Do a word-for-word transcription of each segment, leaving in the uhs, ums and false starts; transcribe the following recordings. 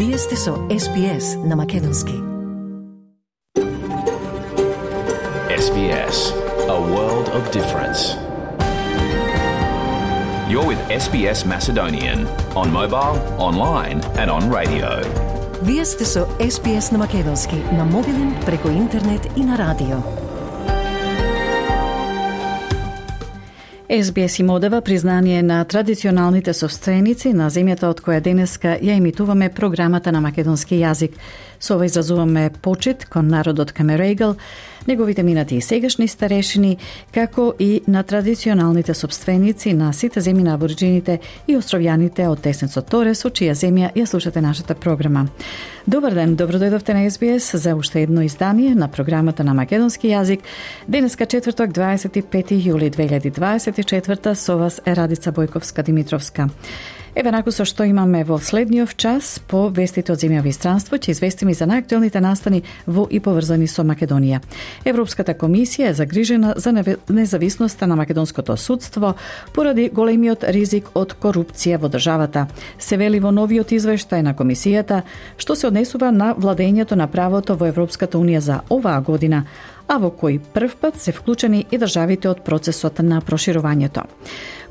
Вие сте со Ес Би Ес на Македонски. Ес Би Ес, a world of difference. You're with Ес Би Ес Macedonian on mobile, online and on radio. Вие сте со Ес Би Ес на Македонски, на мобилен, преку интернет и на радио. Ес Би Ес им одава признание на традиционалните собственици на земјата од која денеска ја емитуваме програмата на македонски јазик. Со ова изразуваме почит кон народот Камерегал, неговите минати и сегашни старешини, како и на традиционалните собственици на сите земји на абориджините и островјаните од Теснецот Торес, од чија земја ја слушате нашата програма. Добар ден, добродојдовте на Ес Би Ес за уште едно издание на програмата на македонски јазик. Денеска четврток, дваесет и пети јули две илјади дваесет и четврта, со вас е Радица Бојковска-Димитровска. Еве наку со што имаме во следниот час по вестите од земја и странство, ќе известиме за најактуелните настани во и поврзани со Македонија. Европската комисија е загрижена за независноста на македонското судство поради големиот ризик од корупција во државата. Се вели во новиот извештај на комисијата, што се однесува на владењето на правото во Европската унија за оваа година, а во кој првпат се вклучени и државите од процесот на проширувањето.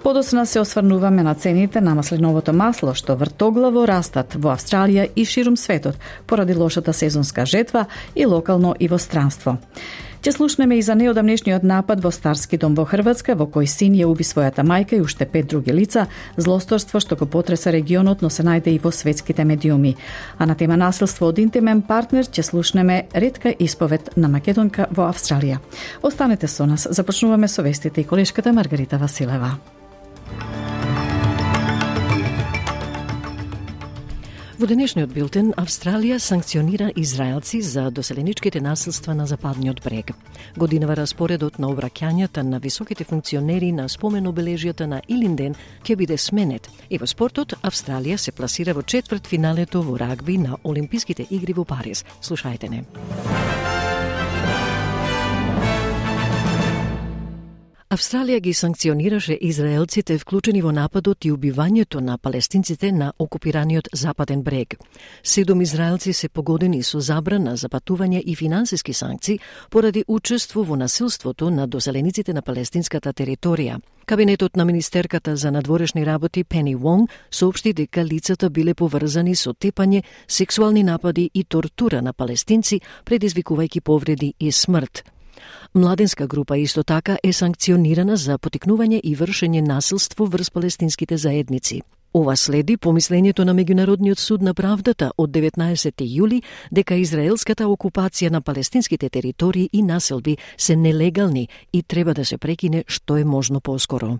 Подоцна се осврнуваме на цените на масленовото масло, што вртоглаво растат во Австралија и ширум светот, поради лошата сезонска жетва и локално и во странство. Ќе слушнеме и за неодамнешниот напад во Старски дом во Хрватска, во кој син ја уби својата мајка и уште пет други лица, злосторство што го потреса регионот, но се најде и во светските медиуми. А на тема насилство од интимен партнер ќе слушнеме ретка исповед на македонка во Австралија. Останете со нас, започнуваме со вестите и колешката Маргарита Василева. Во денешниот билтен, Австралија санкционира израелци за доселеничките насилства на Западниот брег. Годинава распоредот на обраќањата на високите функционери на спомен обележјата на Илинден ќе биде сменет. И во спортот, Австралија се пласира во четвртфиналето во рагби на Олимписките игри во Париз. Слушајте не. Австралија ги санкционираше израелците вклучени во нападот и убивањето на палестинците на окупираниот Западен брег. Седум израелци се погодени со забрана за патување и финансиски санкции поради учество во насилството на доселениците на палестинската територија. Кабинетот на министерката за надворешни работи Пени Вонг соопшти дека лицата биле поврзани со тепање, сексуални напади и тортура на палестинци, предизвикувајќи повреди и смрт. Младенска група исто така е санкционирана за потикнување и вршење насилство врз палестинските заедници. Ова следи помислењето на Меѓународниот суд на правдата од деветнаесети јули дека израелската окупација на палестинските територии и населби се нелегални и треба да се прекине што е можно поскоро.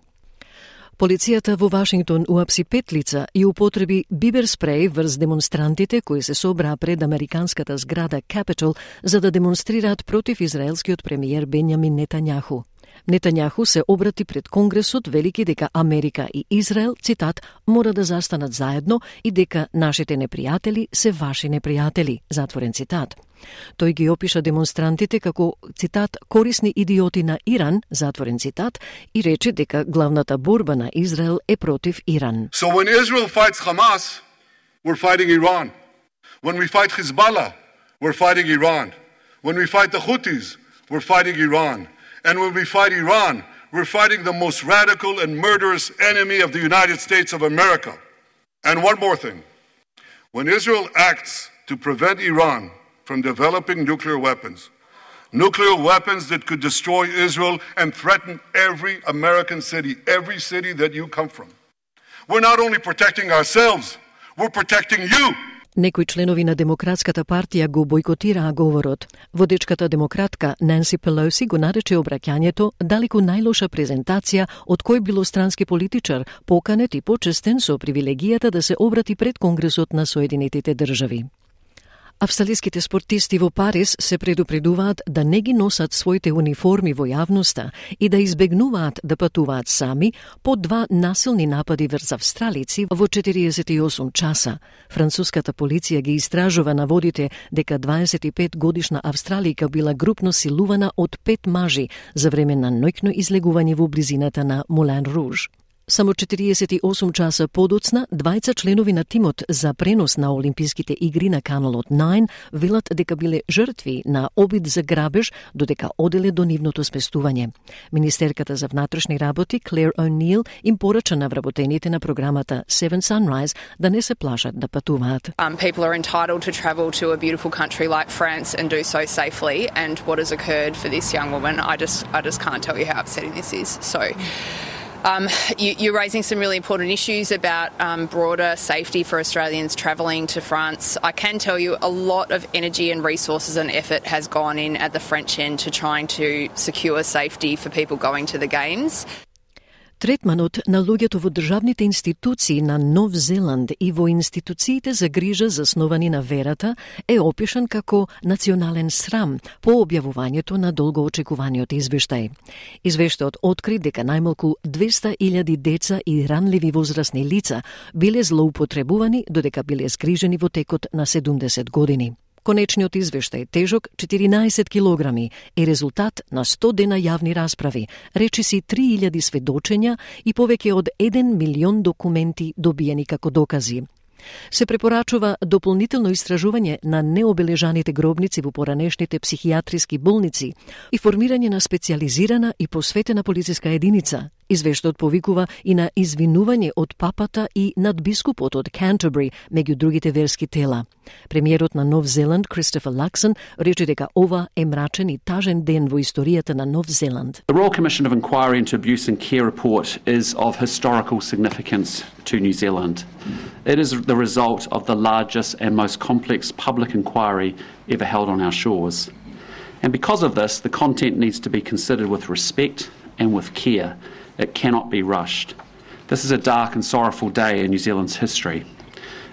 Полицијата во Вашингтон уапси пет лица и употреби бибер спреј врз демонстрантите кои се собраа пред американската зграда Capitol за да демонстрираат против израелскиот премиер Бенјамин Нетањаху. Нетањаху се обрати пред Конгресот, велики дека Америка и Израел, цитат, мора да застанат заедно и дека нашите непријатели се ваши непријатели, затворен цитат. Тој ги опиша демонстрантите како, цитат, корисни идиоти на Иран, затворен цитат, и рече дека главната борба на Израел е против Иран. So when Israel fights Hamas, we're fighting Iran. When we fight Hezbollah, we're fighting Iran. When we fight the Houthis, we're fighting Iran. And when we fight Iran, we're fighting the most radical and murderous enemy of the United States of America. And one more thing. When Israel acts to prevent Iran from developing nuclear weapons, nuclear weapons that could destroy Israel and threaten every American city, every city that you come from. We're not only protecting ourselves, we're protecting you. Некои членови на Демократската партија го бојкотираа говорот. Водечката демократка Нанси Пелоси го нарече обраќањето далеку најлоша презентација од кој било странски политичар, поканет и почестен со привилегијата да се обрати пред Конгресот на Соединетите држави. Австралиските спортисти во Париз се предупредуваат да не ги носат своите униформи во јавноста и да избегнуваат да патуваат сами по два насилни напади врз австралици во четириесет и осум часа. Француската полиција ги истражува наводите дека дваесет и пет годишна австралика била групно силувана од пет мажи за време на ноќно излегување во близината на Мулен Руж. Само четириесет и осум часа подоцна, двајца членови на тимот за пренос на Олимписките игри на каналот девет велат дека биле жртви на обид за грабеж додека оделе до нивното сместување. Министерката за внатрешни работи Клер О'Нил им порача на вработените на програмата Seven Sunrise да не се плашат да патуваат. Um, people are entitled to travel to a beautiful country like France and do so safely, and what has occurred for this young woman, I just I just can't tell you how upsetting this is. So Um, you, you're raising some really important issues about um, broader safety for Australians travelling to France. I can tell you a lot of energy and resources and effort has gone in at the French end to trying to secure safety for people going to the Games. Третманот на луѓето во државните институции на Нов Зеланд и во институциите за грижа засновани на верата е опишан како национален срам по објавувањето на долгоочекуваниот извештај. Извештајот откри дека најмалку двеста илјади деца и ранливи возрастни лица биле злоупотребувани додека биле згрижени во текот на седумдесет години. Конечниот извештај, тежок четиринаесет килограми, е резултат на сто дена јавни расправи, речиси три илјади сведочења и повеќе од еден милион документи добиени како докази. Се препорачува дополнително истражување на необележаните гробници во поранешните психијатриски болници и формирање на специјализирана и посветена полициска единица. Извештајот повикува и на извинување од папата и надбискупот од Canterbury, меѓу другите верски тела. Премиерот на Нов Зеланд, Кристофер Лаксон, рече дека ова е мрачен и тажен ден во историјата на Нов Зеланд. The Royal Commission of Inquiry into Abuse and Care report is of historical significance to New Zealand. It is the result of the largest and most complex public inquiry ever held on our shores. And because of this, the content needs to be considered with respect and with care. It cannot be rushed. This is a dark and sorrowful day in New Zealand's history.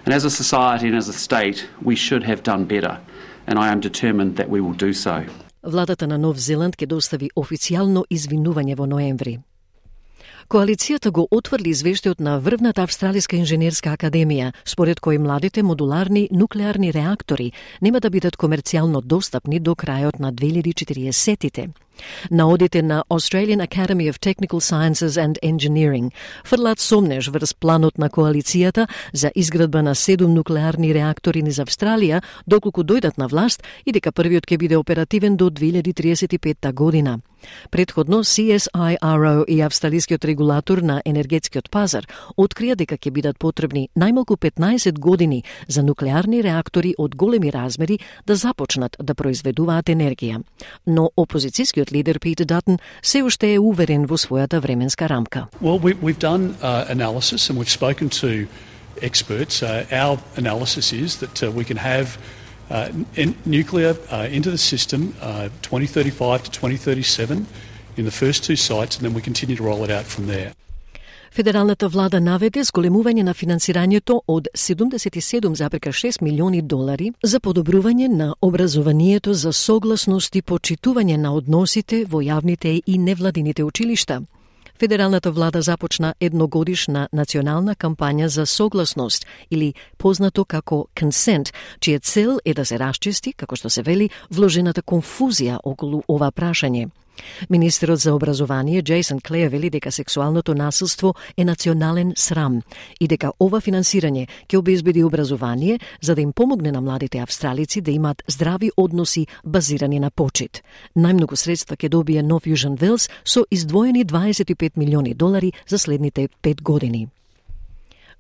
And as a society and as a state, we should have done better. And I am determined that we will do so. Владата на Нов Зеланд ќе достави официјално извинување во ноември. Коалицијата го отврли извештајот на врвната Австралиска инженерска академија, според кој младите модуларни нуклеарни реактори нема да бидат комерцијално достапни до крајот на две илјади и четириесеттите. Наодите на Australian Academy of Technical Sciences and Engineering фрлаат сомнеж врз планот на коалицијата за изградба на седум нуклеарни реактори низ Австралија, доколку дојдат на власт и дека првиот ќе биде оперативен до две илјади триесет и петта година. Предходно, Си Ес Ај Ар О и австралискиот регулатор на енергетскиот пазар открија дека ќе бидат потребни најмалку петнаесет години за нуклеарни реактори од големи размери да започнат да произведуваат енергија. Но опозицијскиот лидер Питер Датон се уште е уверен во својата временска рамка. Well, we, we've done uh, analysis and we've spoken to experts. Uh, our analysis is that uh, we can have uh, in, nuclear uh, into the system uh, twenty thirty-five to twenty thirty-seven in the first two sites, and then we continue to roll it out from there. Федералната влада наведе зголемување на финансирањето од седумдесет и седум зарез шест милиони долари за подобрување на образованието за согласност и почитување на односите во јавните и невладините училишта. Федералната влада започна едногодишна национална кампања за согласност или познато како consent, чија цел е да се расчисти, како што се вели, вложената конфузија околу ова прашање. Министерот за образование Джейсон Клеј вели дека сексуалното насилство е национален срам и дека ова финансирање ќе обезбеди образование за да им помогне на младите австралици да имаат здрави односи базирани на почит. Најмногу средства ќе добие Нов Јужен Велс со издвоени дваесет и пет милиони долари за следните пет години.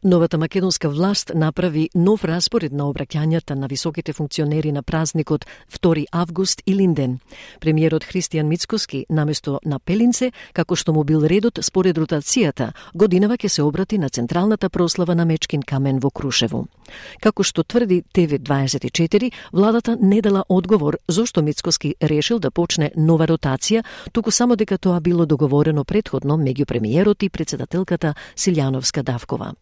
Новата македонска власт направи нов распоред на обраќањата на високите функционери на празникот втори август и Линден. Премиерот Христијан Мицкоски наместо на Пелинце, како што му бил редот според ротацијата, годинава ќе се обрати на централната прослава на Мечкин камен во Крушево. Како што тврди Те Ви дваесет и четири, владата не дала одговор зошто Мицкоски решил да почне нова ротација, туку само дека тоа било договорено претходно меѓу премиерот и председателката Силјановска Давкова.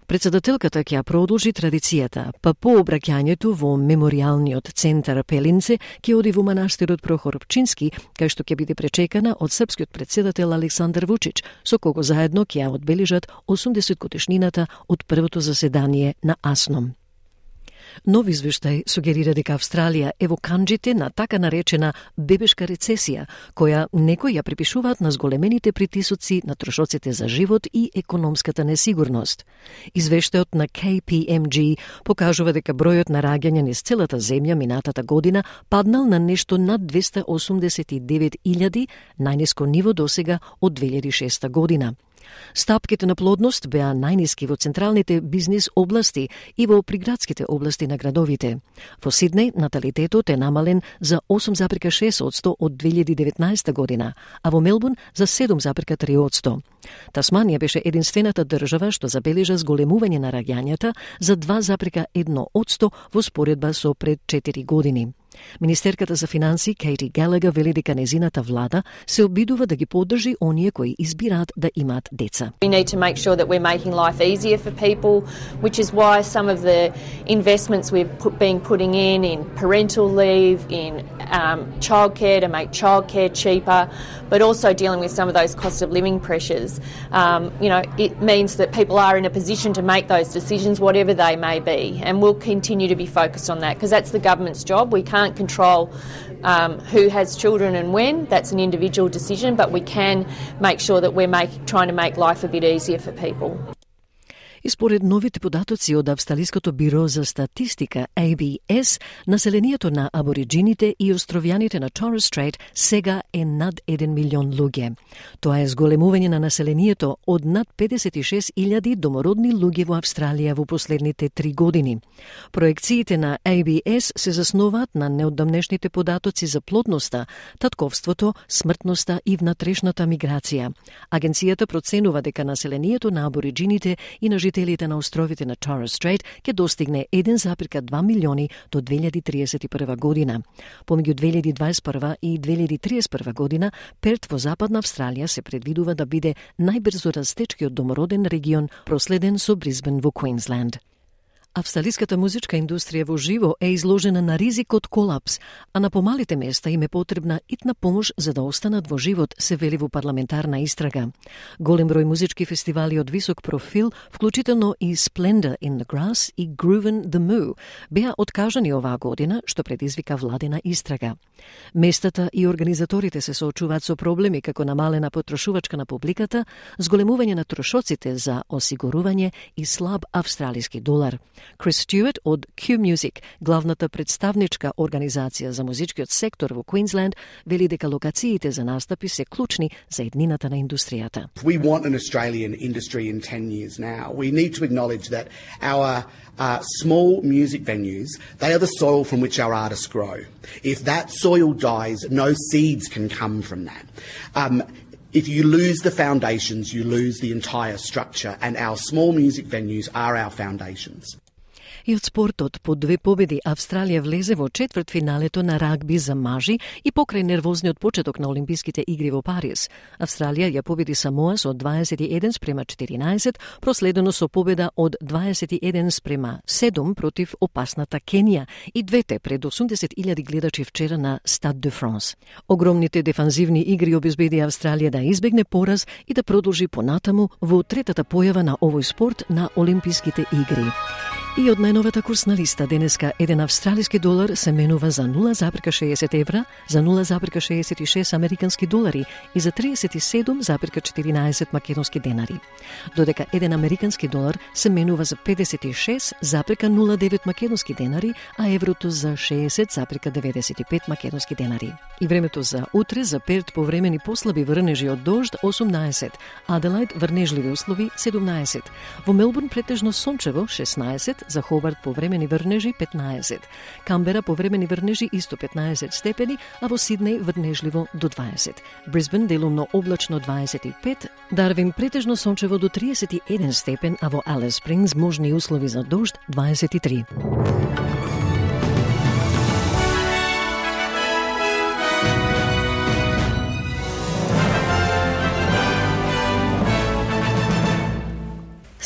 Председателката ќе ја продолжи традицијата, па по обраќањето во меморијалниот центар Пелинце ќе оди во манастирот Прохор Пчински, кај што ќе биде пречекана од српскиот председател Александар Вучич, со кого заедно ќе ја одбележат осумдесет годишнината од првото заседание на АСНОМ. Нов извештај сугерира дека Австралија е во канџите на така наречена бебешка рецесија, која некои ја припишуваат на зголемените притисоци на трошоците за живот и економската несигурност. Извештајот на K P M G покажува дека бројот на раѓања низ целата земја минатата година паднал на нешто над двеста осумдесет и девет илјади, најниско ниво досега од две илјади и шеста година. Стапките на плодност беа најниски во централните бизнис области и во приградските области на градовите. Во Сиднеј наталитетот е намален за осум зарез и шест одсто од две илјади и деветнаесета година, а во Мелбурн за седум зарез и три одсто. Тасманија беше единствената држава што забележа зголемување на раѓањата за два зарез и едно одсто во споредба со пред четири години. Министерката за финансии Кейти Галагер вели дека незината влада се обидува да ги поддржи оние кои избираат да имаат деца. We need to make sure that we're making life easier for people, which is why some of the investments we've put, been putting in in parental leave, in um, childcare to make childcare cheaper, but also dealing with some of those cost of living pressures. Um, you know, it means that people are in a position to make those decisions, whatever they may be, and we'll continue to be focused on that because that's the government's job. We can't control um, who has children and when. That's an individual decision, but we can make sure that we're make, trying to make life a bit easier for people. И според новите податоци од Австралиското биро за статистика A B S, населението на абориджините и островјаните на Торес Стрейт сега е над еден милион луѓе. Тоа е зголемување на населението од над педесет и шест илјади домородни луѓе во Австралија во последните три години. Проекциите на A B S се засноваат на неодамнешните податоци за плодноста, татковството, смртноста и внатрешната миграција. Агенцијата проценува дека населението на абориджините и на жителите на островите на Торес Стрейт ќе достигне еден зарез и два милиони до две илјади триесет и прва година. Помеѓу две илјади дваесет и прва и две илјади триесет и прва година, Перт во Западна Австралија се предвидува да биде најбрзо растечкиот домороден регион, проследен со Брисбен во Квинсленд. Австралиската музичка индустрија во живо е изложена на ризик од колапс, а на помалите места им е потребна итна помош за да останат во живот, се вели во парламентарна истрага. Голем број музички фестивали од висок профил, вклучително и Splendor in the Grass и Groovin' the Moo, беа откажани оваа година, што предизвика владена истрага. Местата и организаторите се соочуваат со проблеми како намалена потрошувачка на публиката, зголемување на трошоците за осигурување и слаб австралиски долар. Крис Стюарт од Q Music, главната представничка организација за музичкиот сектор во Квинсленд, вели дека локациите за настапи се клучни за еднината на индустријата. We want an Australian industry in ten years now. We need to acknowledge that our uh, small music venues, they are the soil from which our artists grow. If that soil dies, no seeds can come from that. Um, If you lose the foundations, you lose the entire structure, and our small music venues are our foundations. И од спортот, по две победи, Австралија влезе во четвртфиналето на рагби за мажи и покрај нервозниот почеток на Олимписките игри во Париз. Австралија ја победи Самоа со дваесет и еден спрема четиринаесет, проследено со победа од дваесет и еден спрема седум против опасната Кенија и двете пред осумдесет илјади гледачи вчера на Стад де Франс. Огромните дефанзивни игри обезбеди Австралија да избегне пораз и да продолжи понатаму во третата појава на овој спорт на Олимписките игри. И од најновата курсна листа денеска еден австралиски долар се менува за нула зарез и шеесет евра, за нула зарез и шеесет и шест американски долари и за триесет и седум зарез и четиринаесет македонски денари. Додека еден американски долар се менува за педесет и шест зарез и нула девет македонски денари, а еврото за шеесет зарез и деветдесет и пет македонски денари. И времето за утре за Перт повремени послаби врнежи од дожд осумнаесет, Аделајд врнежливи услови седумнаесет, во Мелбурн претежно сончево шеснаесет, за Хобарт повремени врнежи петнаесет, Камбера повремени врнежи исто петнаесет степени, а во Сиднеј врнежливо до дваесет, Брисбен делумно облачно дваесет и пет, Дарвин претежно сончево до триесет и еден степен, а во Алис Спрингс можни услови за дожд дваесет и три.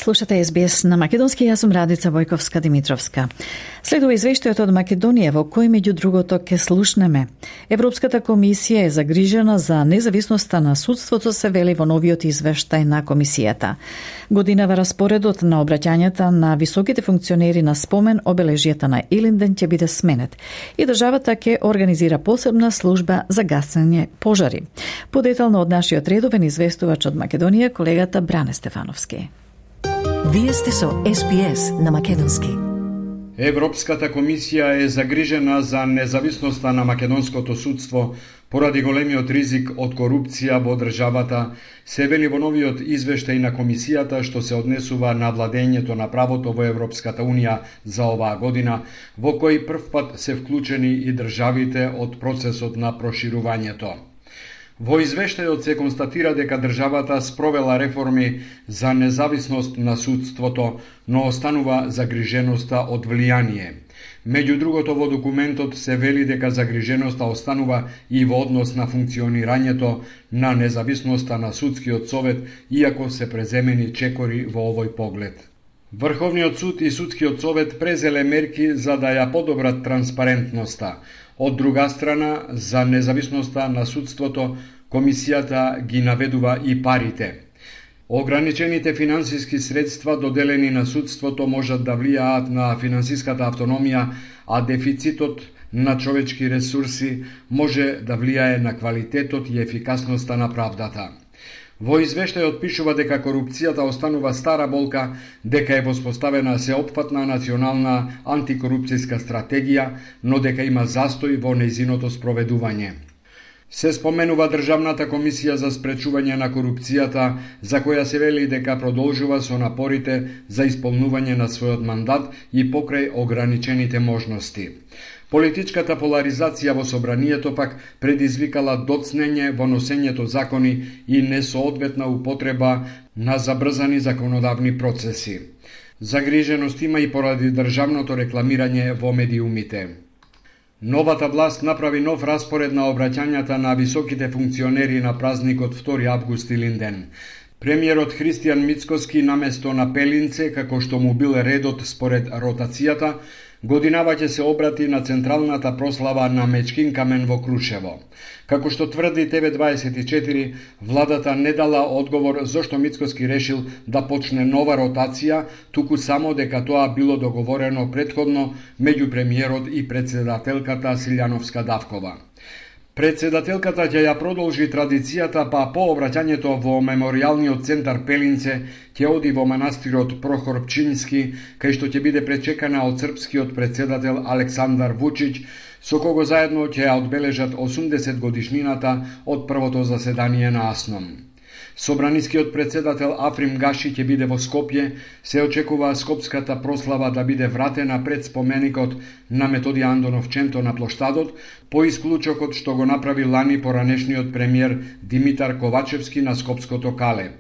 Слушате Ес Би Ес на македонски, јас сум Радица Војковска-Димитровска. Следува извештајот од Македонија во кој меѓу другото ке слушнеме. Европската комисија е загрижена за независноста на судството, се вели во новиот извештај на комисијата. Годинава распоредот на обраќањата на високите функционери на спомен обележјата на Илинден ќе биде сменет и државата ќе организира посебна служба за гасење пожари. Подетално од нашиот редовен известувач од Македонија, колегата Бране Стефановски. Вие сте со Ес Би Ес на македонски. Европската комисија е загрижена за независноста на македонското судство поради големиот ризик од корупција во државата, се вели во новиот извештај на комисијата што се однесува на владењето на правото во Европската унија за оваа година, во кој првпат се вклучени и државите од процесот на проширувањето. Во извештајот се констатира дека државата спровела реформи за независност на судството, но останува загриженоста од влијание. Меѓу другото, во документот се вели дека загриженоста останува и во однос на функционирањето на независноста на судскиот совет, иако се преземени чекори во овој поглед. Врховниот суд и судскиот совет презеле мерки за да ја подобрат транспарентноста. Од друга страна, за независноста на судството, комисијата ги наведува и парите. Ограничените финансиски средства доделени на судството можат да влијаат на финансиската автономија, а дефицитот на човечки ресурси може да влијае на квалитетот и ефикасноста на правдата. Во извештајот пишува дека корупцијата останува стара болка, дека е воспоставена сеопфатна национална антикорупцијска стратегија, но дека има застој во нејзиното спроведување. Се споменува Државната комисија за спречување на корупцијата, за која се вели дека продолжува со напорите за исполнување на својот мандат и покрај ограничените можности. Политичката поларизација во собранието пак предизвикала доцнење во носењето закони и несоодветна употреба на забрзани законодавни процеси. Загриженост има и поради државното рекламирање во медиумите. Новата власт направи нов распоред на обраќањата на високите функционери на празникот втори август Илинден. Премиерот Христијан Мицкоски наместо на Пелинце, како што му бил редот според ротацијата, годинава ќе се обрати на централната прослава на Мечкин камен во Крушево. Како што тврди Те Ве дваесет и четири, владата не дала одговор зошто Мицкоски решил да почне нова ротација, туку само дека тоа било договорено претходно меѓу премиерот и председателката Силјановска Давкова. Председателката ќе ја продолжи традицијата, па по обраќањето во меморијалниот центар Пелинце ќе оди во манастирот Прохор Пчински, кај што ќе биде пречекана од српскиот председател Александар Вучич, со кого заедно ќе ја одбележат осумдесет годишнината од првото заседание на АСНОМ. Собранискиот председател Африм Гаши ќе биде во Скопје, се очекува скопската прослава да биде вратена пред споменикот на Методија Андонов Ченто на плоштадот, по исклучокот што го направи лани поранешниот премиер Димитар Ковачевски на Скопското Кале.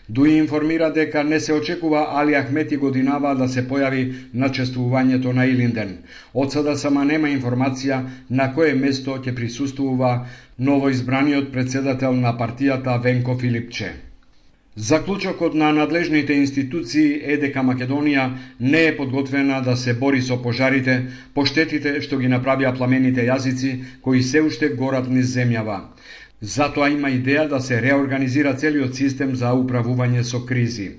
Дуи информира дека не се очекува Али Ахмети годинава да се појави на чествувањето на Илинден. Од сада сама нема информација на кое место ќе присуствува новоизбраниот председател на партијата Венко Филипче. Заклучокот на надлежните институции е дека Македонија не е подготвена да се бори со пожарите, по штетите што ги направија пламените јазици кои се уште горат низ земјава. Затоа има идеја да се реорганизира целиот систем за управување со кризи.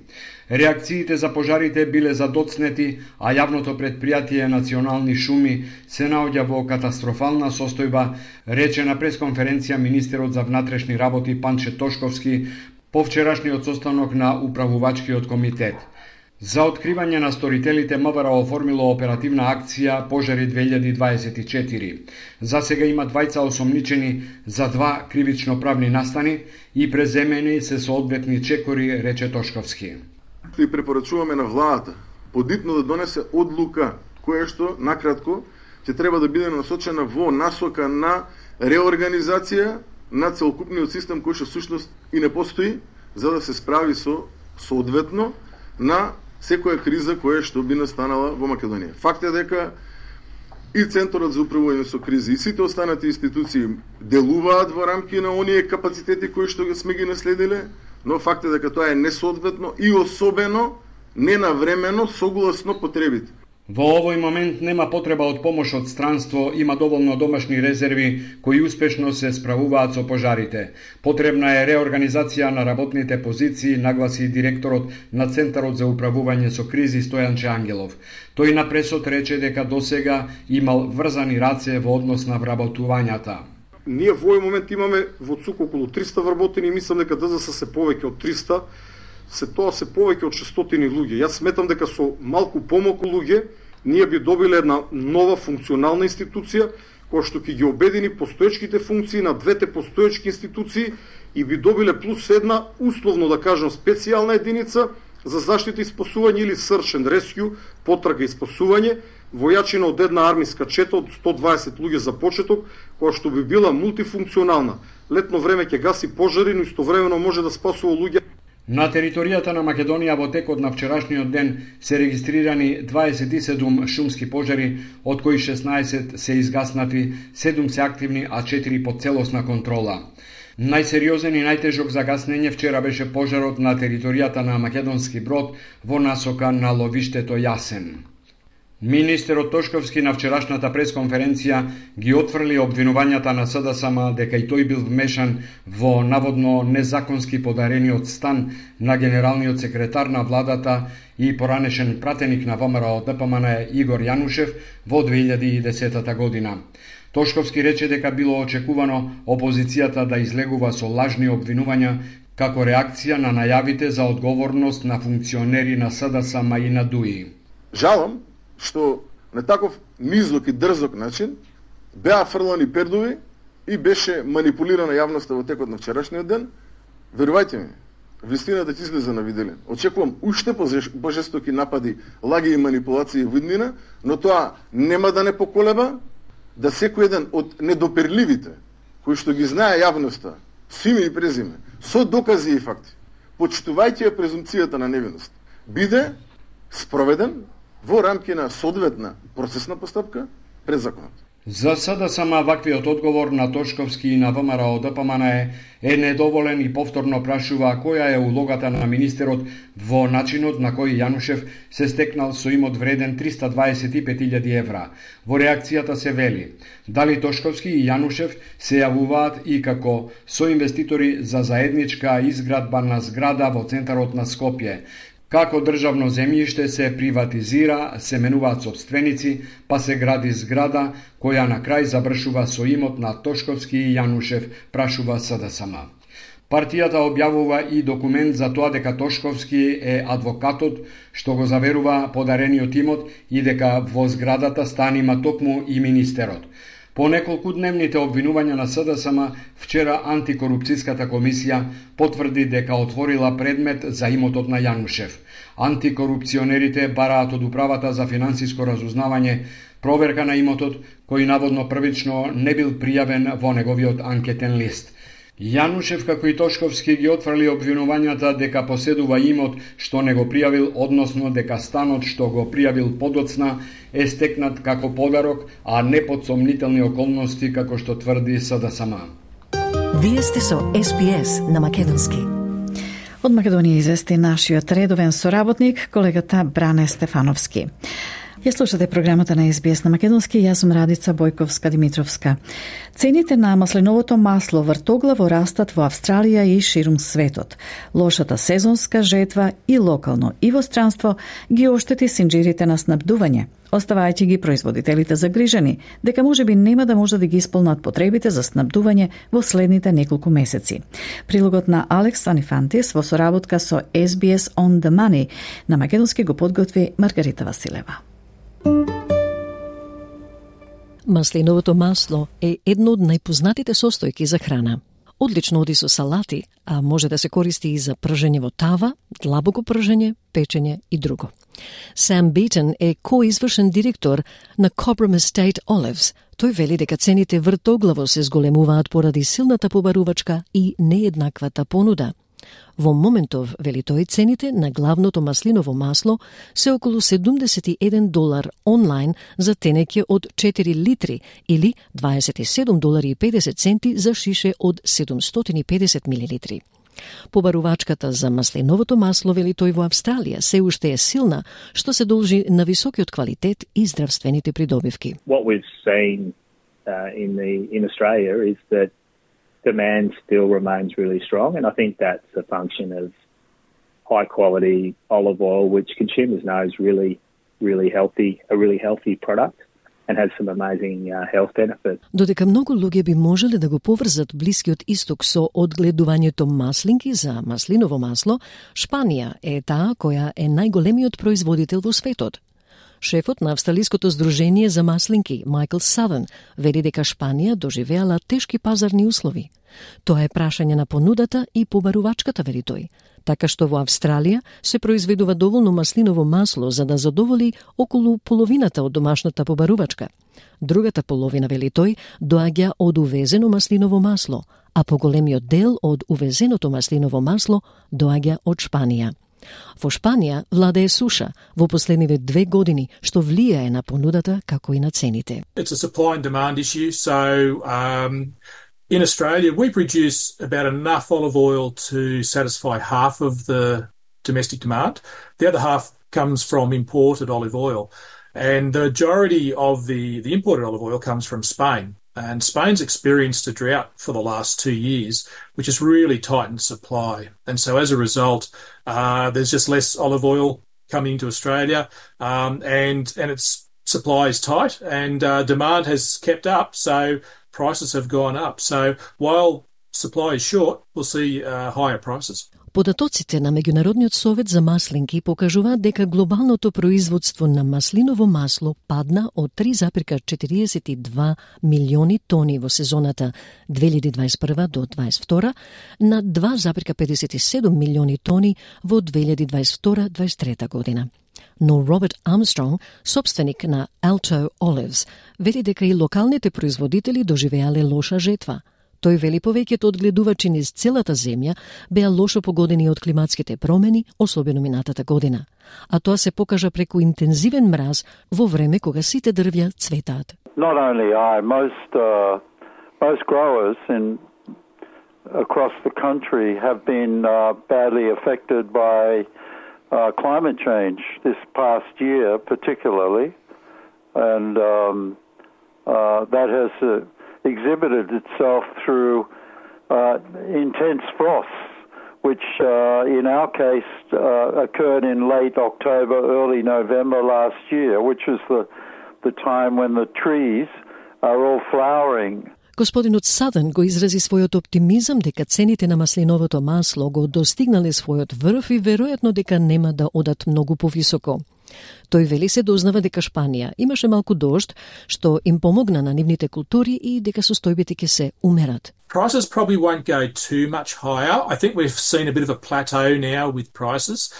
Реакциите за пожарите биле задоцнети, а јавното предпријатие Национални шуми се наоѓа во катастрофална состојба, рече на пресконференција министерот за внатрешни работи Панче Тошковски по вчерашниот состанок на управувачкиот комитет. За откривање на сторителите МВР оформило оперативна акција Пожари две илјади дваесет и четири. За сега има двајца осомничени за два кривично-правни настани и преземени се соодветни чекори, рече Тошковски. И препорачуваме на владата подитно да донесе одлука која што накратко ќе треба да биде насочена во насока на реорганизација на целокупниот систем кој што всушност и не постои, за да се справи со соодветно на секоја криза која што би настанала во Македонија. Факт е дека и Центарот за управување со кризи и сите останати институции делуваат во рамки на оние капацитети кои што сме ги наследиле, но факт е дека тоа е несоодветно и особено ненавремено согласно потребите. Во овој момент нема потреба од помош од странство, има доволно домашни резерви кои успешно се справуваат со пожарите. Потребна е реорганизација на работните позиции, нагласи директорот на Центарот за управување со кризи Стојанче Ангелов. Тој на пресот рече дека досега имал врзани раце во однос на вработувањата. Ние во овој момент имаме во ЦУК околу триста вработени и мислам дека ДЗС се повеќе од триста. Се тоа се повеќе од шестстотини луѓе. Јас сметам дека со малку помалку луѓе ние би добиле една нова функционална институција која што ќе ги обедини постоечките функции на двете постоечки институции и би добиле плюс една условно да кажам специјална единица за заштита и спасување или search and rescue, потрага и спасување, војачина од една армиска чета од сто дваесет луѓе за почеток, која што би била мултифункционална. Летно време ќе гаси пожари, но истовремено може да спасува луѓе. На територијата на Македонија во текот на вчерашниот ден се регистрирани дваесет и седум шумски пожари, од кои шеснаесет се изгаснати, седум се активни, а четири под целосна контрола. Најсериозен и најтежок за гаснење вчера беше пожарот на територијата на Македонски Брод во насока на ловиштето Јасен. Министерот Тошковски на вчерашната пресконференција ги отфрли обвинувањата на СДСМ дека и тој бил вмешан во наводно незаконски подарениот стан на генералниот секретар на владата и поранешен пратеник на ВМРО ДПМН Игор Јанушев во две илјади и десета година. Тошковски рече дека било очекувано опозицијата да излегува со лажни обвинувања како реакција на најавите за одговорност на функционери на СДСМ и на ДУИ. Жалам што на таков низок и дрзок начин беа фрлани пердови и беше манипулирана јавноста во текот на вчерашниот ден. Верувајте ми, вистината ќе излезе на виделен. Очекувам уште пожестоки напади, лаги и манипулации во иднина, но тоа нема да не поколеба да секој еден од недоперливите, кои што ги знае јавноста, с име и презиме, со докази и факти, почитувајќи ја презумцијата на невиност, биде спроведен во рамки на соодветна процесна постапка пред законот. За СДСМ ваквиот одговор на Тошковски и на ВМРО ДПМН е недоволен и повторно прашува која е улогата на министерот во начинот на кој Јанушев се стекнал со имот вреден триста дваесет и пет илјади евра. Во реакцијата се вели дали Тошковски и Јанушев се јавуваат и како соинвеститори за заедничка изградба на зграда во центарот на Скопје. Како државно земјиште се приватизира, се менуваат собственици, па се гради зграда која на крај завршува со имот на Тошковски и Јанушев, прашува СДСМ. Партијата објавува и документ за тоа дека Тошковски е адвокатот што го заверува подарениот имот и дека во зградата станима токму и министерот. По неколку дневните обвинувања на СДСМ, вчера антикорупцијската комисија потврди дека отворила предмет за имотот на Јанушев. Антикорупционерите бараат од управата за финансиско разузнавање проверка на имотот, кој наводно првично не бил пријавен во неговиот анкетен лист. Јанушев, како и Тошковски, ги отфрли обвинувањата дека поседува имот што не го пријавил, односно дека станот што го пријавил подоцна е стекнат како подарок, а не под сомнителни околности, како што тврди СДСМ. Вие сте со Ес Би Ес на Македонски. Од Македонија извести нашиот редовен соработник, колегата Бране Стефановски. Ја слушате програмата на Ес Би Ес на Македонски, јас сум Радица Бојковска-Димитровска. Цените на маслиновото масло вртоглаво растат во Австралија и ширум светот. Лошата сезонска жетва и локално и во странство ги оштети синџирите на снабдување, оставајќи ги производителите загрижени дека можеби нема да може да ги исполнат потребите за снабдување во следните неколку месеци. Прилогот на Алекс Анифантис во соработка со Ес Би Ес On The Money на Македонски го подготви Маргарита Василева. Маслиновото масло е едно од најпознатите состојки за храна. Одлично оди со салати, а може да се користи и за пржење во тава, длабоко пржење, печење и друго. Сам Бейтон е коизвршен директор на Cobram Estate Olives. Тој вели дека цените вртоглаво се зголемуваат поради силната побарувачка и нееднаквата понуда. Во моментов, вели тој, цените на главното маслиново масло се околу седумдесет и еден долар онлайн за тенеќе од четири литри или дваесет и седум долари и педесет центи за шише од седумстотини и педесет милилитри. Побарувачката за маслиновото масло, вели тој, во Австралија се уште е силна, што се должи на високиот квалитет и здравствените придобивки. What we've seen uh, in the in Australia is that demand still remains really strong, and I think that's a function of high quality olive oil, which consumers know is really, really healthy, a really healthy product and has some amazing uh, health benefits. Додека многу луѓе би можеле да го поврзат Блискиот Исток со одгледувањето маслинки за маслиново масло, Шпанија е таа која е најголемиот производител во светот. Шефот на Австралиското здружение за маслинки, Майкл Савен, вели дека Шпанија доживеала тешки пазарни услови. Тоа е прашање на понудата и побарувачката, вели тој. Така што во Австралија се произведува доволно маслиново масло за да задоволи околу половината од домашната побарувачка. Другата половина, вели тој, доаѓа од увезено маслиново масло, а поголемиот дел од увезеното маслиново масло доаѓа од Шпанија. Во Шпанија владее суша во последниве две години, што влијае на понудата како и на цените. It's a supply and demand issue, so um, in Australia we produce about enough olive oil to satisfy half of the domestic demand. The other half comes from imported olive oil, and the majority of the, the imported olive oil comes from Spain. And Spain's experienced a drought for the last two years, which has really tightened supply. And so as a result, uh, there's just less olive oil coming into Australia, um, and, and its supply is tight, and uh, demand has kept up, so prices have gone up. So while supply is short, we'll see uh, higher prices. Податоците на Меѓународниот совет за маслинки покажуваат дека глобалното производство на маслиново масло падна од три зарез четириесет и два милиони тони во сезоната две илјади дваесет и прва до дваесет и втора на два зарез педесет и седум милиони тони во две илјади дваесет и втора до дваесет и трета година. Но Роберт Армстронг, собственик на Alto Olives, вели дека и локалните производители доживеале лоша жетва. Тој вели повеќето одгледувачи низ целата земја беа лошо погодени од климатските промени, особено минатата година. А тоа се покажа преку интензивен мраз во време кога сите дрвја цветаат. Not only I, most uh, most growers in across the country have been uh, badly affected by uh, climate change this past year, particularly, and um, uh, that has uh, exhibited itself through uh, intense frosts, which uh, in our case uh, occurred in late October, early November last year, which was the, the time when the trees are all flowering. Господинот Саден го изрази својот оптимизам дека цените на маслиновото масло го достигнале својот врв и веројатно дека нема да одат многу повисоко. Тој вели се дознава дека Шпанија имаше малку дожд, што им помогна на нивните култури и дека состојбите ќе се умерат. Prices probably won't go too much higher. I think we've seen a bit of a plateau now with prices.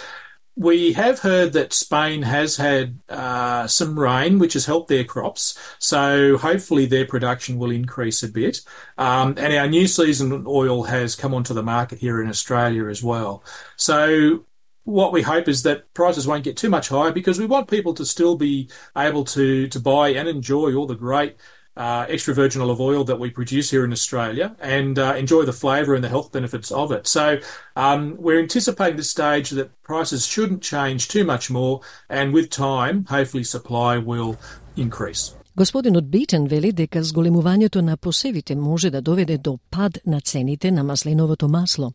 We have heard that Spain has had uh, some rain, which has helped their crops, so hopefully their production will increase a bit. Um, and our new season oil has come onto the market here in Australia as well. So what we hope is that prices won't get too much higher, because we want people to still be able to, to buy and enjoy all the great uh, extra virgin olive oil that we produce here in Australia, and uh, enjoy the flavour and the health benefits of it. So um, we're anticipating this stage that prices shouldn't change too much more, and with time, hopefully supply will increase. Господинот Битен вели дека зголемувањето на посевите може да доведе до пад на цените на маслиновото масло.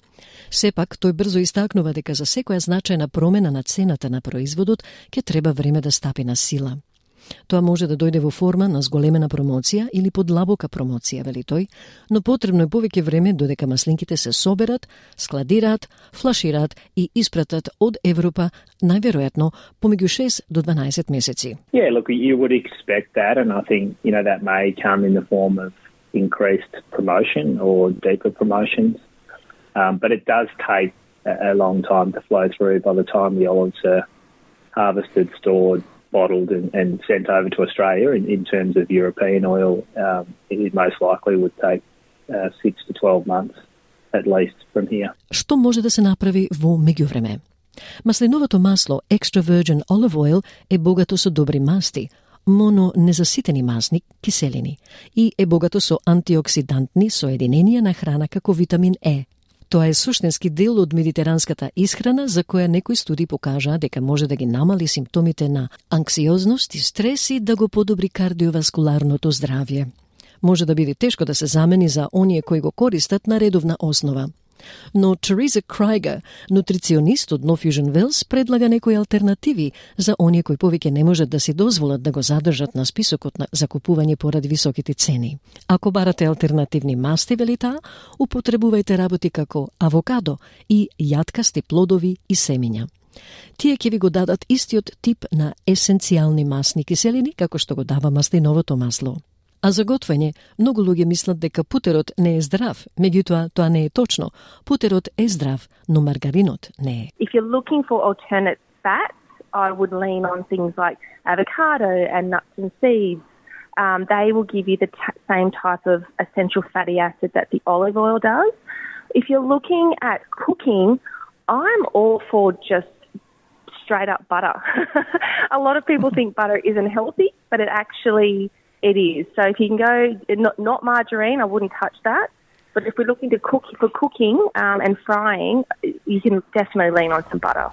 Сепак, тој брзо истакнува дека за секоја значајна промена на цената на производот ќе треба време да стапи на сила. Тоа може да дојде во форма на зголемена промоција или подлабока промоција, вели тој, но потребно е повеќе време додека маслинките се соберат, складираат, флашираат и испратат од Европа, најверојатно помеѓу шест до дванаесет месеци. Yeah, look, you would expect that, and I think, you know, that may come in the form of increased promotion or deeper promotions, um, but it does take a, a long time to flow through. By the time the olives are harvested, stored, bottled and, and sent over to Australia in, in terms of European oil, um, it most likely would take uh, six to twelve months at least from here. Што може да се направи во меѓувреме? Маслиновото масло Extra Virgin Olive Oil е богато со добри масти, мононезаситени масни киселини, и е богато со антиоксидантни соединенија на храна како витамин Е. Тоа е суштински дел од медитеранската исхрана за која некои студии покажаа дека може да ги намали симптомите на анксиозност и стрес и да го подобри кардиоваскуларното здравје. Може да биде тешко да се замени за оние кои го користат на редовна основа. Но Тереза Крайгер, нутриционист од No Fusion Wells, предлага некои алтернативи за оние кои повеќе не можат да си дозволат да го задржат на списокот на закупување поради високите цени. Ако барате алтернативни масти, вели таа, употребувајте работи како авокадо и јаткасти плодови и семиња. Тие ќе ви го дадат истиот тип на есенцијални масни киселини како што го дава маслиновото масло. А за готвење, многу луѓе мислат дека путерот не е здрав, меѓутоа тоа не е точно. Путерот е здрав, но маргаринот не е. If you're looking for alternate fats, I would lean on things like avocado and nuts and seeds. Um, they will give you the t- same type of essential fatty acid that the olive oil does. If you're looking at cooking, I'm all for just straight up butter. A lot of people think butter isn't healthy, but it actually it is. So if you can go, not, not margarine, I wouldn't touch that. But if we're looking to cook for cooking um, and frying, you can definitely lean on some butter.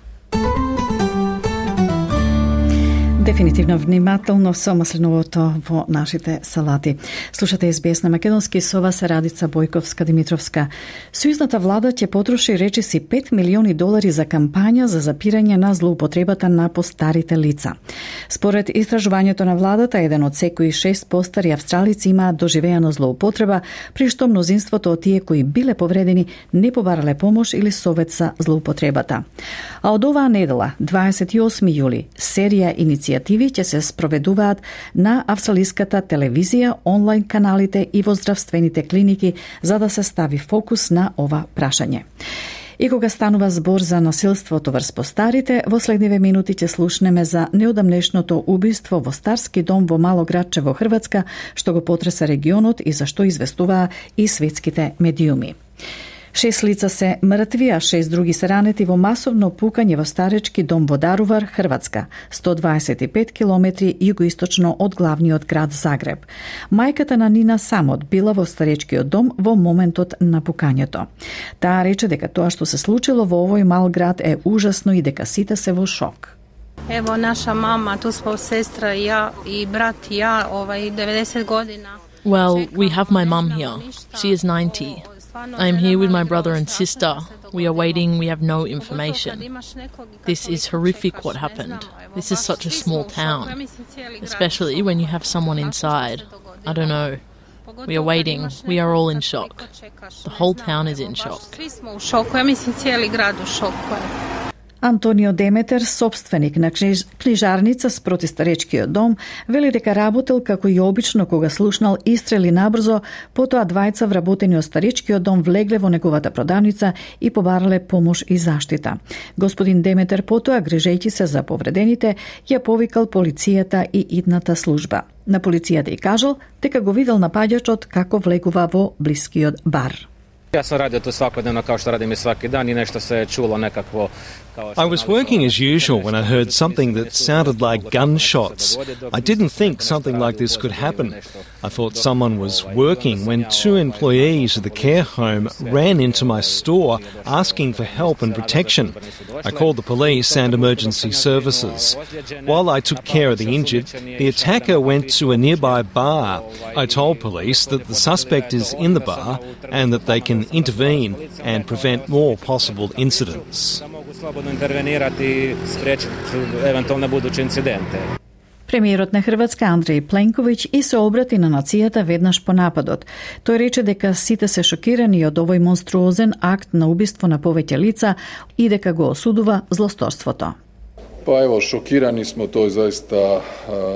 Дефинитивно внимателно со маслиновото во нашите салати. Слушате Ес Би Ес на македонски, со вас е Радица Бојковска-Димитровска. Сојузната влада ќе потроши речиси пет милиони долари за кампања за запирање на злоупотребата на постарите лица. Според истражувањето на владата, еден од секои шест постари австралици имаат доживеана злоупотреба, при што мнозинството од тие кои биле повредени не побарале помош или совет за злоупотребата. А од оваа недела, дваесет и осми јули, серија иницијативи ќе се спроведуваат на австралиската телевизија, онлайн каналите и во здравствените клиники за да се стави фокус на ова прашање. И кога станува збор за насилството врз постарите, во следниве минути ќе слушнеме за неодамнешното убиство во старски дом во мало градче во Хрватска, што го потреса регионот и за што известуваа и светските медиуми. Шест лица се мртви, а шест други се ранети во масовно пукање во старечки дом во Дарувар, Хрватска, сто дваесет и пет километри југоисточно од главниот град Загреб. Мајката на Нина самот била во старечкиот дом во моментот на пукањето. Таа рече дека тоа што се случило во овој мал град е ужасно и дека сите се во шок. Ево наша мама, ту смо сестра и ја и брат и ја, овај деветдесет година. Well, we have my mum here. She is ninety. I'm here with my brother and sister. We are waiting, we have no information. This is horrific what happened. This is such a small town, especially when you have someone inside. I don't know. We are waiting, we are all in shock. The whole town is in shock. Антонио Деметер, собственик на книжарница спроти старечкиот дом, вели дека работел како и обично кога слушнал истрели набрзо, потоа двајца вработени од старечкиот дом влегле во неговата продавница и побарале помош и заштита. Господин Деметер потоа, грижејќи се за повредените, ја повикал полицијата и идната служба. На полицијата и кажал дека го видел напаѓачот како влегува во блискиот бар. Ja sam radio to svakodnevno kao što radim i svaki dan I nešto se čulo nekakvo. I was working as usual when I heard something that sounded like gunshots. I didn't think something like this could happen. I thought someone was working when two employees of the care home ran into my store asking for help and protection. I called the police and emergency services. While I took care of the injured, the attacker went to a nearby bar. I told police that the suspect is in the bar and that they can intervene and prevent more possible incidents. Премиерот на Хрватска Андреј Пленковиќ и се обрати на нацијата веднаш по нападот. Тој рече дека сите се шокирани од овој монструозен акт на убиство на повеќе лица и дека го осудува злосторството. Pa evo, šokirani smo, to je zaista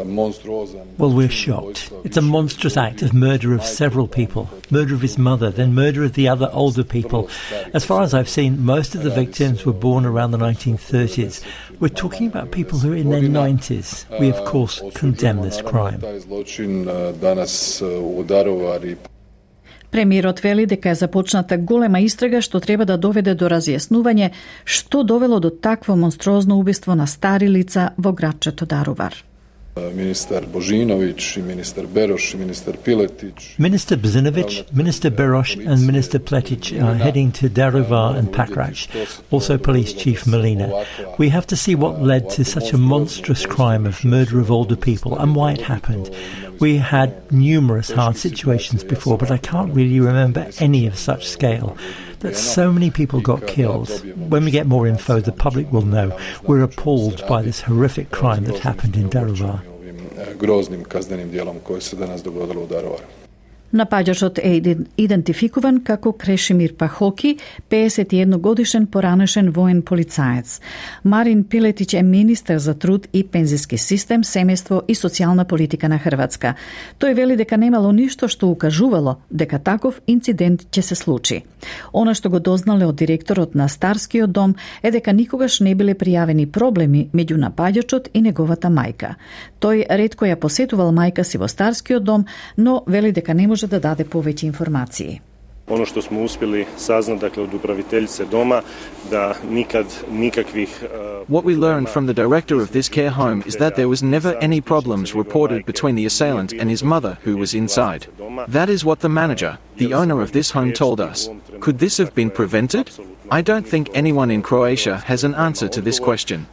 monstruozan. Well, we're shocked. It's a monstrous act of murder of several people. Murder of his mother, then murder of the other older people. As far as I've seen, most of the victims were born around the nineteen thirties. We're talking about people who are in their nineties. We, of course, condemn this crime. Taj zločin danas u Daruvaru. Премиерот вели дека е започната голема истрага што треба да доведе до разјаснување што довело до такво монструозно убиство на стари лица во градчето Дарувар. Minister Božinović i minister Beroš i minister Piletić. Minister Bozinovic, Minister Beroš and Minister Pletic are heading to Daruvar and Pakrac, also Police Chief Molina. We have to see what led to such a monstrous crime of murder of older people and why it happened. We had numerous hard situations before, but I can't really remember any of such scale. That so many people got killed. When we get more info, the public will know. We're appalled by this horrific crime that happened in Daruvar. Groznim kaznenim djelom koje se danas dogodilo u Daruvaru. Напаѓачот е идентификуван како Крешимир Пахоки, педесет и едно годишен поранешен воен полицаец. Марин Пилетич е министер за труд и пензиски систем, семејство и социјална политика на Хрватска. Тој вели дека немало ништо што укажувало дека таков инцидент ќе се случи. Она што го дознале од директорот на Старскиот дом е дека никогаш не биле пријавени проблеми меѓу напаѓачот и неговата мајка. Тој ретко ја посетувал мајка си во Старскиот дом, но вели дека не може да даде повеќе информации. Ono što smo uspjeli saznati, dakle, od upraviteljice doma, da nikad nikakvih... Uh, What we learned from the director of this care home is that there was never any problems reported between the assailant and his mother, who was inside. That is what the manager, the owner of this home, told us. Could this have been prevented? I don't think anyone in Croatia has an answer to this question.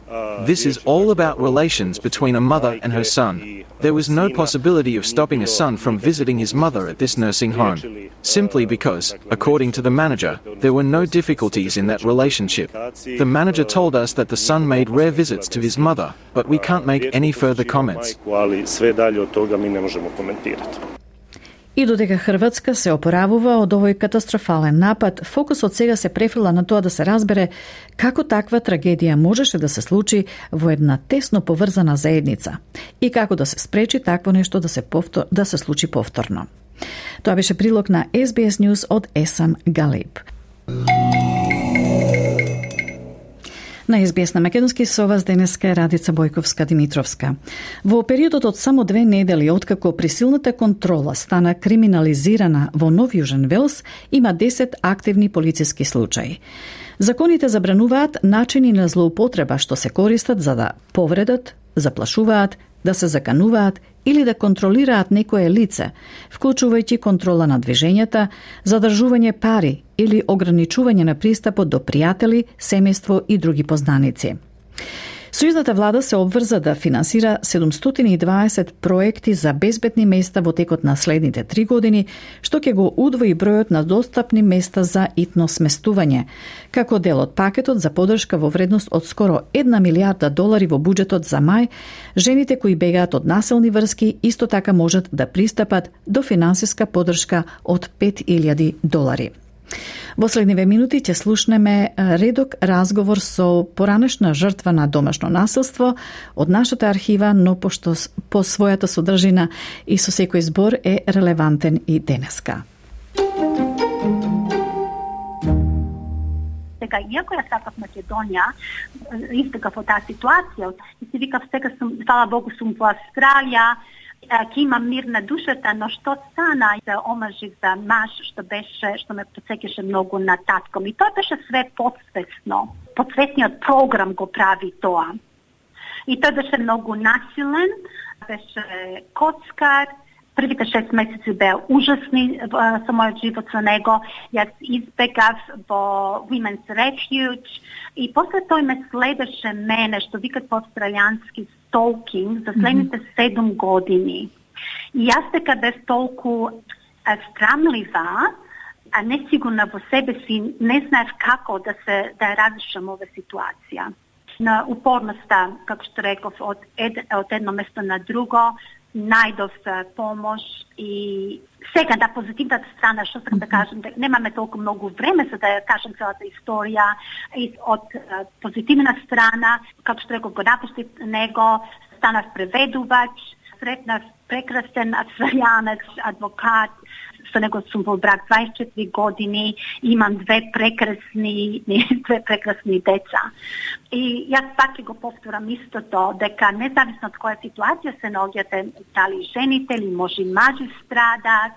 This is all about relations between a mother and her son. There was no possibility of stopping a son from visiting his mother at this nursing home, simply because, according to the manager, there were no difficulties in that relationship. The manager told us that the son made rare visits to his mother, but we can't make any further comments. И додека Хрватска се опоравува од овој катастрофален напад, фокусот сега се префрла на тоа да се разбере како таква трагедија можеше да се случи во една тесно поврзана заедница и како да се спречи такво нешто да се повтор, да се случи повторно. Тоа беше прилог на Ес Би Ес News од Есам Галиб. На Ес Би Ес на македонски со вас денеска е Радица Бојковска-Димитровска. Во периодот од само две недели откако присилната контрола стана криминализирана во Нов Јужен Велс, има десет активни полициски случаи. Законите забрануваат начини на злоупотреба што се користат за да повредат, заплашуваат, да се закануваат или да контролираат некое лице, вклучувајќи контрола на движењата, задржување пари или ограничување на пристапот до пријатели, семејство и други познаници. Сојузната влада се обврза да финансира седумстотини и дваесет проекти за безбедни места во текот на следните три години, што ќе го удвои бројот на достапни места за итно сместување, како дел од пакетот за поддршка во вредност од скоро една милијарда долари во буџетот за мај. Жените кои бегаат од насилни врски исто така можат да пристапат до финансиска поддршка од пет илјади долари. Во следниве минути ќе слушнеме редок разговор со поранешна жртва на домашно насилство од нашата архива, но пошто по својата содржина и со секој збор е релевантен и денеска. Сега, иако ја сакав Македонија, истекав од таа ситуација, и си викав сега сум, фала Богу сум во Австралија, ќе имам мир на душата, но што стана за омажив за маж, што беше, што ме подсеќаше многу на татком. И тоа беше све подсвесно. Подсветниот програм го прави тоа. И тој беше многу насилен, беше коцкар. Првите шест месеци беа ужасни со мојот живот со него. Јас избегав во Women's Refuge и после тој ме следеше мене, што викат по австралијански stalking за следните седум години. И јас дека без толку срамлива, а несигурна во себе си, не знаев како да се да разрешам ова ситуација. На упорноста, како што реков, од, ед, од едно место на друго, најдов помош и сега да позитивната страна, што сакам да кажам, дека немаме толку многу време за да ја кажам целата историја, и од позитивна страна, како што реков, го напуштив него, станав преведувач, сретнав прекрасен австралијанец, адвокат, со него сум во брак дваесет и четири години, имам две прекрасни, две прекрасни деца. И јас пак ќе го повторам истото, дека независно од која ситуација се наоѓате, дали жените или може и мажи страдаат,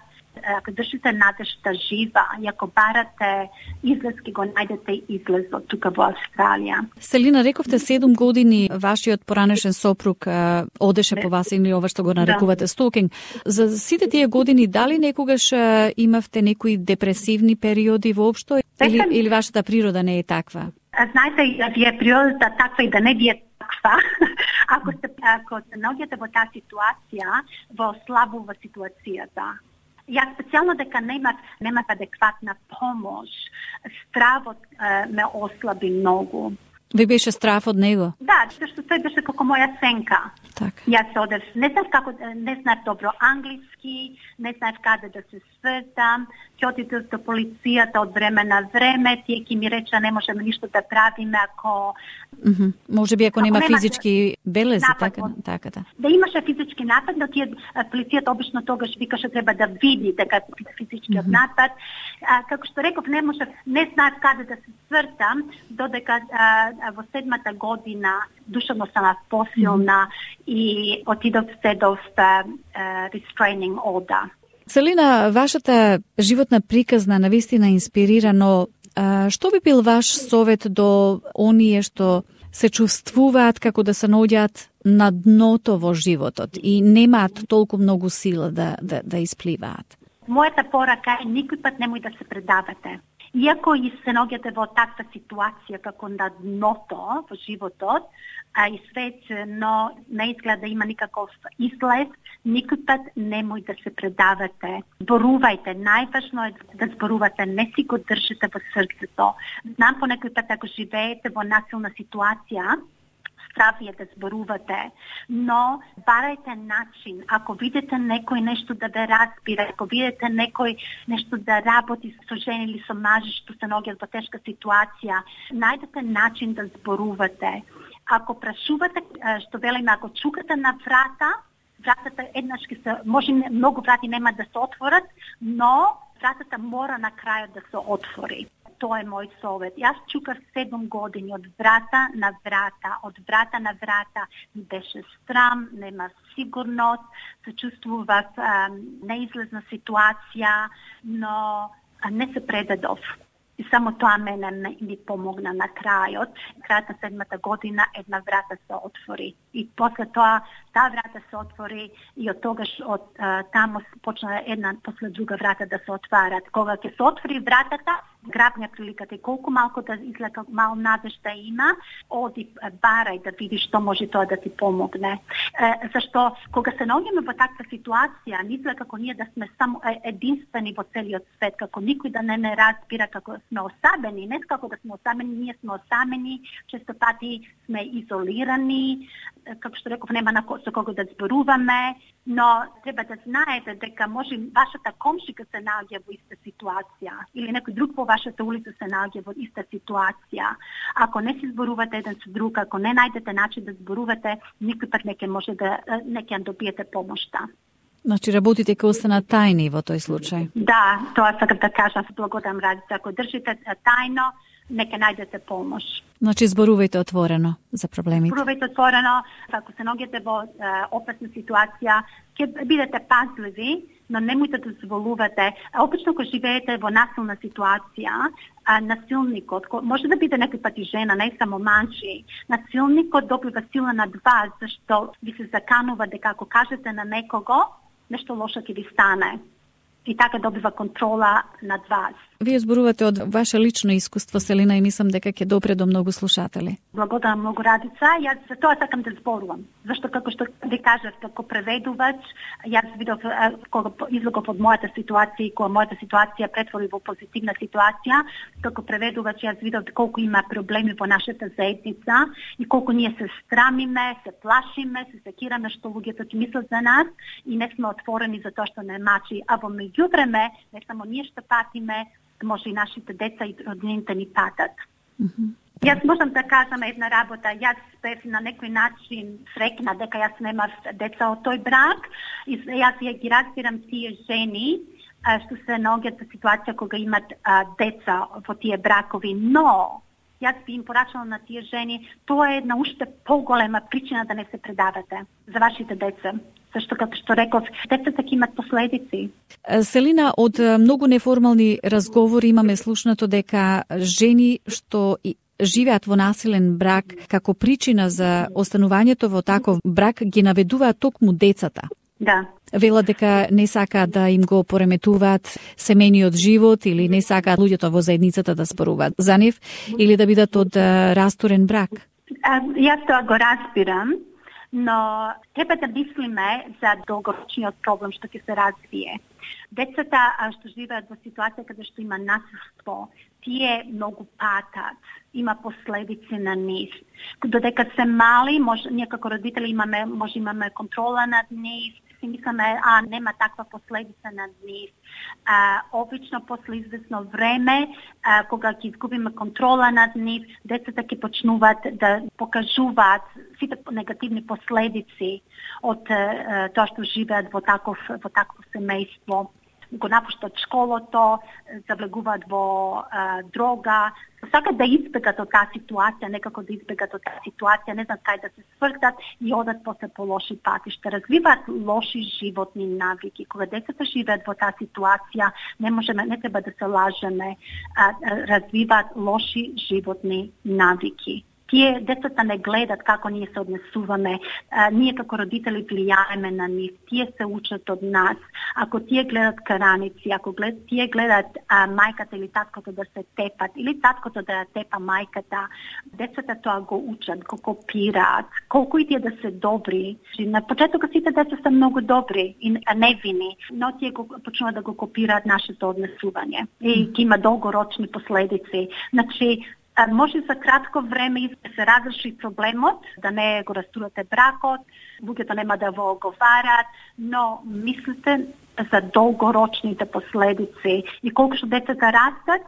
ако држите надежта жива и ако барате излез, ке го најдете излез од тука во Австралија. Селина, рековте седум години вашиот поранешен сопруг а, одеше по вас или ова што го нарекувате стокинг. За сите тие години дали некогаш а, имавте некои депресивни периоди воопшто или, или вашата природа не е таква? Знаете, да ви е природата таква и да не ви е таква. Ако се, ако се наоѓате во таа ситуација, во слабува ситуацијата. Јас специјално дека немав, немав адекватна помош, стравот е, ме ослаби многу. Ви беше страв од него? Да, зашто тој беше како моја сенка. Так. Јас се одев, не знаев како, не знаев добро англиски, не знаев каде да се свртам, ќе отидев до полицијата од време на време, тие ќе ми рече не можеме ништо да правиме ако... Mm -hmm. Може би ако, ако нема, нема физички белези, напад, така, така да. Да имаше физички напад, но тие полицијата обично тогаш викаше треба да види дека физичкиот mm -hmm. напад. А, како што реков, не може, не знаев каде да се свртам, додека а, во седмата година душевно сам посилна mm -hmm. и отидов се доста uh, restraining order. Селина, вашата животна приказна навистина инспирира, но а, што би бил ваш совет до оние што се чувствуваат како да се наоѓаат на дното во животот и немаат толку многу сила да, да, да испливаат? Мојата порака е никој пат немој да се предавате. Иако и се наоѓате во таква ситуација како на дното во животот, а и свет, но не изгледа да има никаков излез, никој пат немој да се предавате. Зборувајте, најважно е да зборувате, не си го држите во срцето. Знам по некој пат ако живеете во насилна ситуација, страв е да зборувате, но барајте начин. Ако видите некој нешто да ве разбира, ако видите некој нешто да работи со жени или со мажи што се наоѓаат во тешка ситуација, најдете начин да зборувате. Ако прашувате, што велиме, ако чукате на врата, вратата еднаш ќе се, може многу врати нема да се отворат, но вратата мора на крајот да се отвори. Тоа е мој совет. Јас чукав седум години од врата на врата, од врата на врата. Ми беше страм, нема сигурност, се чувствував неизлезна ситуација, но не се предадов. И само тоа мене ми помогна на крајот. Крајот на седмата година една врата се отвори. И после тоа, таа врата се отвори и од тогаш од таму почна една после друга врата да се отварат. Кога ќе се отвори вратата, грабня приликата и колку малку да излека мал надежда има, оди барај да видиш што може тоа да ти помогне. Е, зашто кога се наоѓаме во таква ситуација, не изгледа како ние да сме само единствени во целиот свет, како никој да не не разбира како сме осамени, не како да сме осамени, ние сме осамени, често пати сме изолирани, како што реков, нема на со кого да зборуваме, но треба да знаете дека може вашата комшика се наоѓа во иста ситуација или некој друг во вашата улица се наоѓа во иста ситуација. Ако не си зборувате еден со друг, ако не најдете начин да зборувате, никој пат не ќе може да не ќе добиете помошта. Значи работите ќе останат тајни во тој случај. Да, тоа сакам да кажам, се благодарам Радица. Ако држите тајно, нека најдете помош. Значи зборувајте отворено за проблемите. Зборувајте отворено, ако се наоѓате во е, опасна ситуација, ќе бидете пазливи, но немојте да дозволувате. Обично кога живеете во насилна ситуација, а, насилникот, може да биде некој пати жена, не само мажи, насилникот добива сила над вас, зашто ви се заканува дека ако кажете на некого, нешто лошо ќе ви стане. И така добива контрола над вас. Вие зборувате од ваше лично искуство, Селина, и мислам дека ќе допре до многу слушатели. Благодарам многу, Радица. Јас за тоа сакам да зборувам. Зашто, како што ви кажав, како преведувач, јас видов кога излегов од мојата ситуација и кога мојата ситуација претвори во позитивна ситуација, како преведувач јас видов колку има проблеми во нашата заедница и колку ние се страмиме, се плашиме, се секираме што луѓето ќе мислат за нас и не сме отворени за тоа што не мачи. А во меѓувреме, не само ние што патиме, може и нашите деца и роднините ни патат. Mm-hmm. Јас можам да кажам една работа. Јас бев на некој начин среќна дека јас немав деца од тој брак и јас ја ги разбирам тие жени што се наоѓаат во ситуација кога имат а, деца во тие бракови, но јас би им порачала на тие жени, тоа е една уште поголема причина да не се предавате за вашите деца. Зашто, како што реков, децата ќе имат последици. Селина, од многу неформални разговори имаме слушнато дека жени што живеат во насилен брак како причина за останувањето во таков брак ги наведуваат токму децата. Да. Велат дека не сакаат да им го пореметуваат семејниот живот или не сакаат луѓето во заедницата да споруваат за нив или да бидат од расторен брак. А, јас тоа го разбирам, но треба да мислиме за долгорочниот проблем што ќе се развие. Децата што живеат во ситуација каде што има насилство, тие многу патат, има последици на нив. Додека се мали, може, ние како родители имаме, може имаме контрола над нив, си мислиме, а нема таква последица над нив. А, обично после известно време, а, кога ќе изгубиме контрола над нив, децата ќе почнуваат да покажуваат сите негативни последици од а, тоа што живеат во таков во такво семејство. Го напуштат школото, завлегуваат во а, дрога, сакат да избегат од таа ситуација, некако да избегат од таа ситуација, не знаат кај да се свртат и одат после по лоши патишта. Развиваат лоши животни навики. Кога децата живеат во таа ситуација, не можеме, не треба да се лажеме, а, развиваат лоши животни навики. Тие децата не гледат како ние се однесуваме, а, ние како родители влијаеме на нив, тие се учат од нас. Ако тие гледат караници, ако глед, тие гледат а, мајката или таткото да се тепат, или таткото да ја тепа мајката, децата тоа го учат, го копираат, колку и тие да се добри. На почетокот сите деца се многу добри и невини, но тие го, почнуваат да го копираат нашето однесување и ќе има долгорочни последици. Значи, може за кратко време да се разреши проблемот, да не го растурате бракот, луѓето нема да во оговарат, но мислите за долгорочните последици и колку што децата растат,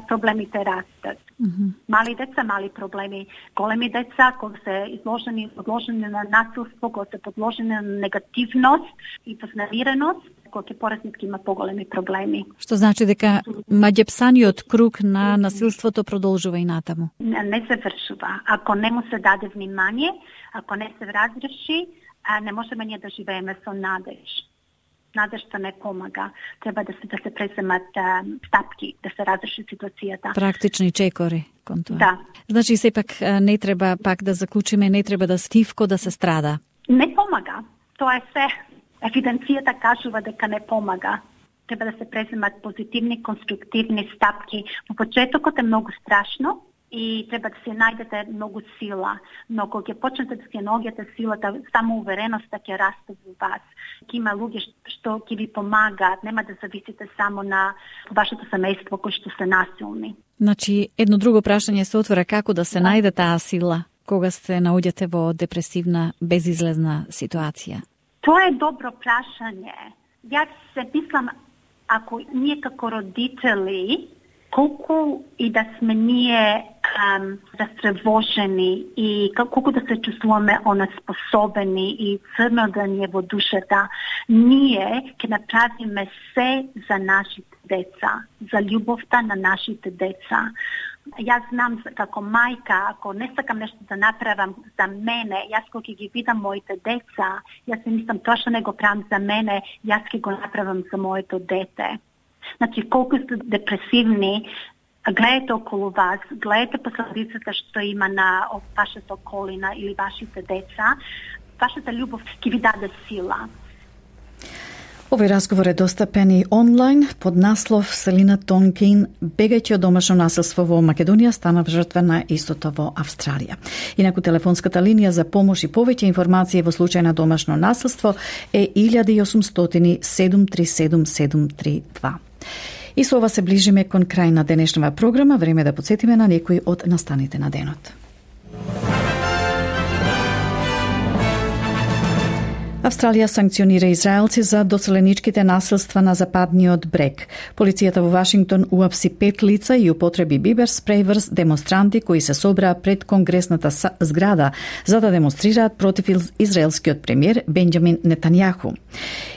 проблемите растат. Mm-hmm. Мали деца, мали проблеми. Големи деца, кога се изложени, подложени на насилство, кога се подложени на негативност и вознемиреност, кога ќе пораснат ќе има поголеми проблеми. Што значи дека маѓепсаниот круг на насилството продолжува и натаму? Не, не се вршува. Ако не му се даде внимание, ако не се разреши, не можеме ние да живееме со надеж. Надежта не помага. Треба да се да се преземат а, стапки, да се разреши ситуацијата. Практични чекори кон тоа. Да. Значи сепак не треба пак да заклучиме, не треба да стивко да се страда. Не помага. Тоа е се. Евиденцијата кажува дека не помага. Треба да се преземат позитивни, конструктивни стапки. Во почетокот е многу страшно и треба да се најдете многу сила. Но кога ќе почнете да се наоѓате силата, само увереноста ќе расте во вас. Ќе има луѓе што ќе ви помагаат, нема да зависите само на вашето семејство кои што се насилни. Значи, едно друго прашање се отвора, како да се најде таа сила кога се наоѓате во депресивна, безизлезна ситуација? Тоа е добро прашање. Јас се мислам, ако ние како родители, колку и да сме ние ам, застревожени и колку да се чувствуваме онеспособени и црно да ни е во душата, ние ќе направиме се за нашите деца, за љубовта на нашите деца. Јас знам како мајка, ако не сакам нешто да направам за мене, јас кога ќе ги видам моите деца, јас си мислам тоа што не го правам за мене, јас ќе го направам за моето дете. Значи, колку сте депресивни, гледате околу вас, гледате последицата што има на вашата околина или вашите деца, вашата љубов ќе ви даде сила. Овој разговор е достапен и онлайн под наслов Селина Тонкин, бегајќи од домашно насилство во Македонија, станав жртва на истото во Австралија. Инаку телефонската линија за помош и повеќе информации во случај на домашно насилство е илјада и осумстотини седум три седум седум три два. И со ова се ближиме кон крај на денешнава програма, време да подсетиме на некои од настаните на денот. Австралија санкционира израелци за доселеничките насилства на западниот брег. Полицијата во Вашингтон уапси пет лица и употреби бибер спреј врз демонстранти кои се собраа пред конгресната зграда за да демонстрираат против израелскиот премиер Бенџамин Нетањаху.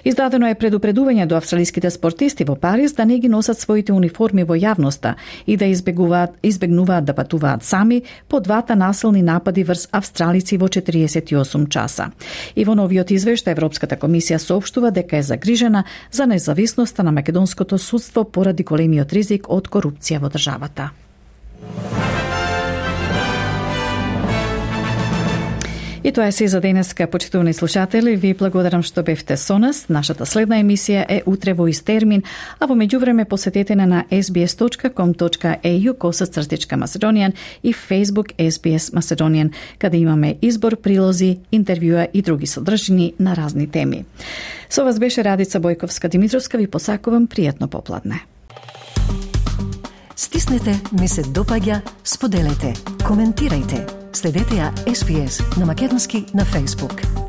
Издадено е предупредување до австралиските спортисти во Париз да не ги носат своите униформи во јавноста и да избегуваат, избегнуваат да патуваат сами по двата насилни напади врз австралици во четириесет и осум часа. И во новиот извештај што Европската комисија соопштува дека е загрижена за независноста на македонското судство поради големиот ризик од корупција во државата. И тоа е се за денеска, почитувани слушатели. Ви благодарам што бевте со нас. Нашата следна емисија е утре во ист термин, а во меѓувреме посетете на ес би ес точка ком точка е ю косацртичка Macedonian и Facebook ес би ес Macedonian, каде имаме избор, прилози, интервјуа и други содржини на разни теми. Со вас беше Радица Бојковска-Димитровска. Ви посакувам пријатно попладне. Стиснете, ми се допаѓа, споделете, коментирајте. Следете ја ес би ес на македонски на Facebook.